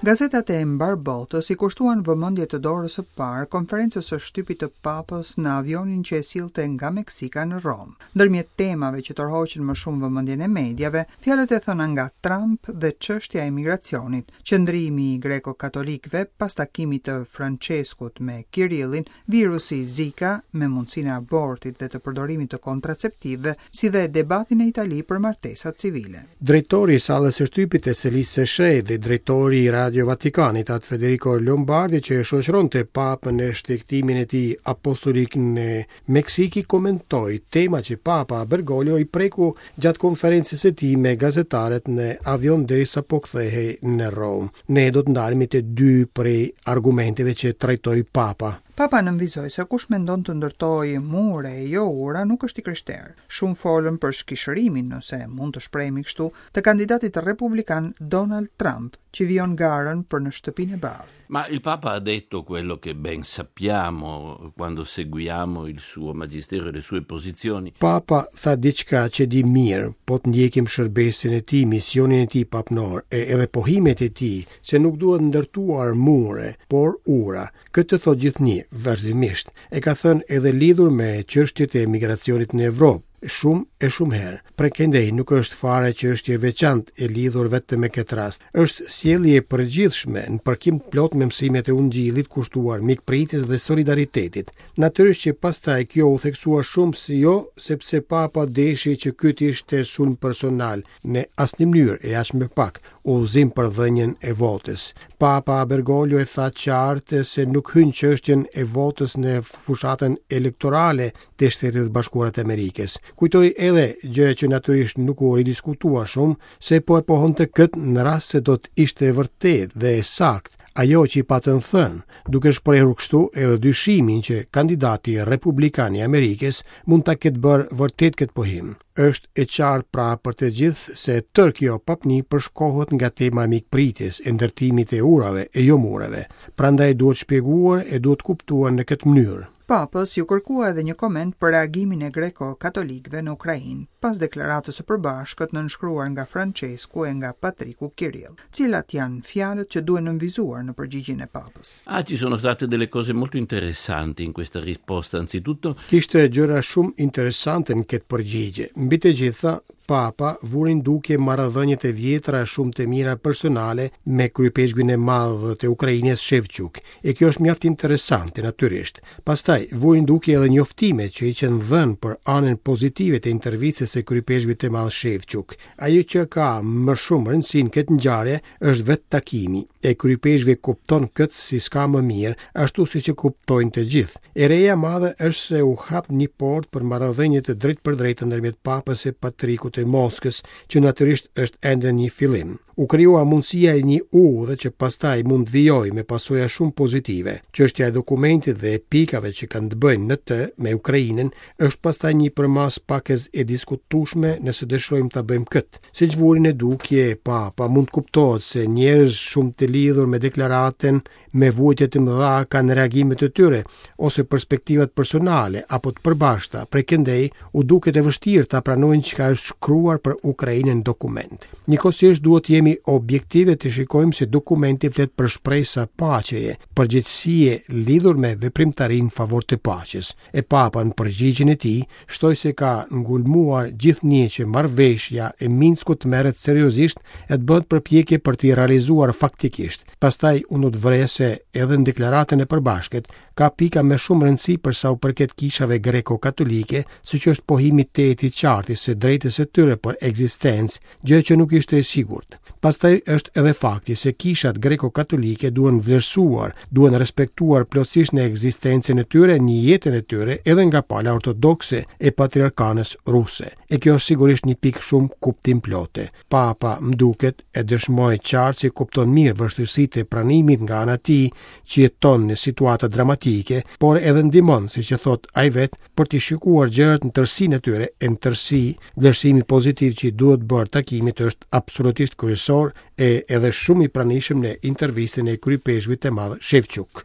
Gazetat e mbarë botës i kushtuan vëmendje të dorës së parë konferencës së shtypit të Papës në avionin që e sillte nga Meksika në Romë. Ndërmjet temave që tërhoqën më shumë vëmendjen e mediave, fjalët e thëna nga Trump dhe çështja e emigracionit, qëndrimi i greko-katolikëve pas takimit të Françeskut me Kirillin, virusi Zika me mundësinë e abortit dhe të përdorimit të kontraceptivëve, si dhe debati në Itali për martesat civile. Drejtori i sallës së shtypit të Selisë së Shenjtë dhe drejtori i Radio Vatikanit, Atë Federico Lombardi, që e shoqëronte Papën në shtegtimin e tij apostolik në Meksikë, komentoi tema që Papa Bergoglio i preku gjatë konferencës së tij me gazetarët në avion derisa po kthehej në Romë. Ne do të ndalemi te dy prej argumenteve që trajtoi Papa. Papa nënvizoi se kush mendon të ndërtojë mure e jo ura nuk është i krishterë. Shumë folën për shkishërimin, nëse mund të shprehemi kështu, të kandidatit republikan Donald Trump, që vijon garën për në Shtëpinë e Bardhë. Ma il Papa ha detto quello che ben sappiamo quando seguiamo il suo magistero e le sue posizioni. Papa tha diçka që dimë mirë, po të ndjekim shërbesën e tij, misionin e tij papnor e edhe pohimet e tij se nuk duhet ndërtuar mure, por ura. Këtë e thotë gjithnjë, vazhdimisht. E ka thënë edhe lidhur me çështjet e emigracionit në Evropë, shumë e shumë herë. Prej këndej nuk është fare çështje e veçantë e lidhur vetëm me këtë rast. Është sjellje e përgjithshme në përkim të plotë me mësimet e Ungjillit kushtuar mikpritjes dhe solidaritetit. Natyrisht që pastaj kjo u theksua shumë si jo sepse Papa deshi që ky të ishte sulm personal në asnjë mënyrë e aq më pak udhëzim për dhënien e votës. Papa Bergoglio e tha qartë se nuk hyn çështjen e votës në fushatën elektorale të Shteteve të Bashkuara të Amerikës. Kujtoi edhe, gjë që natyrisht nuk u ridiskutua shumë, se po e pohonte këtë në rast se do të ishte e vërtetë dhe e saktë ajo që i patën thënë, duke shprehur kështu edhe dyshimin që kandidati republikan i Amerikës mund ta ketë bërë vërtet këtë pohim. Është e qartë pra për të gjithë se tërë kjo papni përshkohet nga tema e mikpritjes, e ndërtimit të urave e jo mureve. Prandaj duhet shpjeguar e duhet kuptuar në këtë mënyrë. Papës iu kërkua edhe një koment për reagimin e greko-katolikëve në Ukrainë, pas deklaratës së përbashkët nënshkruar nga Françesku e nga Patriku Kirill. Cilat janë fjalët që duhen nënvizuar në përgjigjen e Papës? Ah, ci sono state delle cose molto interessanti in questa risposta. Anzitutto, Kishte gjëra shumë interesante në këtë përgjigje. Mbi të gjitha, Papa vuri në dukje marrëdhëniet e vjetra e shumë të mira personale me kryeipeshkvin e madh të Ukrainës Shevchuk. E kjo është mjaft interesante natyrisht. Pastaj vuri në dukje edhe njoftimet që i qenë dhënë për anën pozitive të intervistës së kryeipeshkvit të madh Shevchuk. Ajo që ka më shumë rëndësi në këtë ngjarje është vetë takimi. E kryeipeshkvi kupton këtë si s'ka më mirë, ashtu siç e kuptojnë të gjithë. E reja e madhe është se u hap një portë për marrëdhënie të drejtpërdrejta ndërmjet Papës e Patrikut të Moskës, që natyrisht është ende një fillim. U krijua mundësia e një udhe që pastaj mund të vijojë me pasoja shumë pozitive. Çështja e dokumentit dhe e pikave që kanë të bëjnë në të me Ukrainën është pastaj një përmasë pakëz e diskutueshme nëse dëshirojmë ta bëjmë këtë. Siç vuri në dukje Papa, mund të kuptohet se njerëz shumë të lidhur me deklaratën me vuajtje të mëdha kanë reagimet e tyre ose perspektivat personale apo të përbashkëta. Prej këndej u duket e vështirë ta pranojnë çka është shkruar për Ukrainën në dokument. Njëkohësisht duhet të jemi objektive të shikojmë se dokumenti flet për shpresa paqeje, përgjegjësie lidhur me veprimtarinë në favor të paqes. E Papa në përgjigjen e tij Shtoi se ka ngulmuar gjithnjë që marrëveshja e Minskut të merret seriozisht e të bëhet përpjekje për t'i realizuar faktikisht. Pastaj unë do të vëreja se edhe në deklaratën e përbashkët ka pika me shumë rëndësi për sa u përket kishave greko-katolike, siç është pohimi tejet i qartë i së drejtës së tyre për ekzistencë, gjë që nuk ishte e sigurt. Pastaj është edhe fakti se kishat greko-katolike duhen vlerësuar, duhen respektuar plotësisht në ekzistencën e tyre, në jetën e tyre, edhe nga pala ortodokse e patriarkanës ruse. E kjo është sigurisht një pikë shumë kuptimplote. Papa, më duket, e dëshmoi qartë se kupton mirë vështirësitë e pranimit nga ana e tij që jeton në situata dramatike, por edhe ndihmon, siç e thotë ai vetë, për t'i shikuar gjërat në tërësinë e tyre, e në tërësi, vlerësimi pozitiv që i duhet bërë takimit është absolutisht kryesor e edhe shumë i pranishëm në intervistën e kryeipeshkvit të madh Shevçuk.